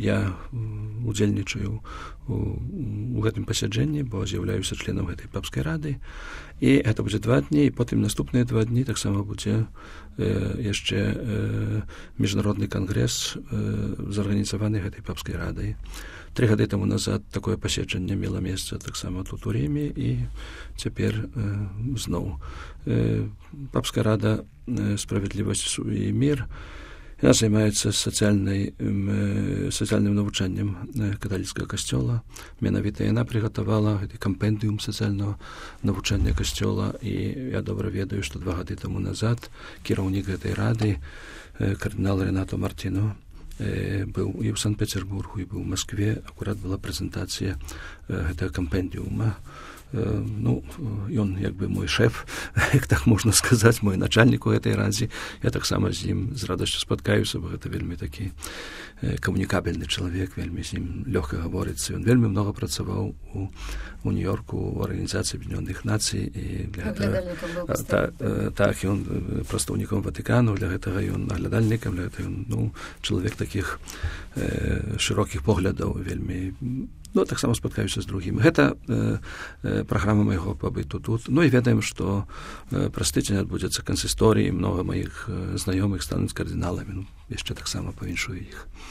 я удзельнічаю у гэтым пасяджэнні, бо з'яўляюся членам гэтай папскай рады, і гэта будзе 2 дні, і потым наступныя 2 дні таксама будзе яшчэ міжнародны кангрэс зарганізаваны гэтай папскай радай. 3 гады таму назад такое паседжанне мела месца таксама тут у Ріме, і цяпер зноў папская рада «Справядлівасць і мір». Яна займаецца сацыяльным навучаннем каталіцкага касцёла. Менавіта яна прыгатавала гэты кампендыум сацыяльнага навучання касцёла, і я добра ведаю, што 2 гады таму назад кіраўнік гэтай рады, кардынал Ренато Мартино, быў і ў Санкт-Петербургу, і быў у Маскве. Акурат была прэзентацыя гэтага кампендыума. Ён як бы мой шэф, як так можна сказаць, мой начальнік у гэтай радзе. Я таксама з ім з радасцю спаткаюся, бо гэта вельмі такі камунікабельны чалавек, вельмі з ім лёгка гаворыцца. Ён вельмі многа працаваў у Нью-Йорку у Арганізацыі Аб'яднёных Нацый, і для гэтага так, ён прадстаўніком Ватыкану, для гэтага ён наглядальнікам, для гэтага ён чалавек такіх шырокіх поглядаў, вельмі таксама спаткаюся з другімі. Гэта праграма майго пабыту тут. І ведаем, што праз тыдзень адбудзецца кансісторый, многа маіх знаёмых стануць кардыналамі. Яшчэ таксама павіншую іх.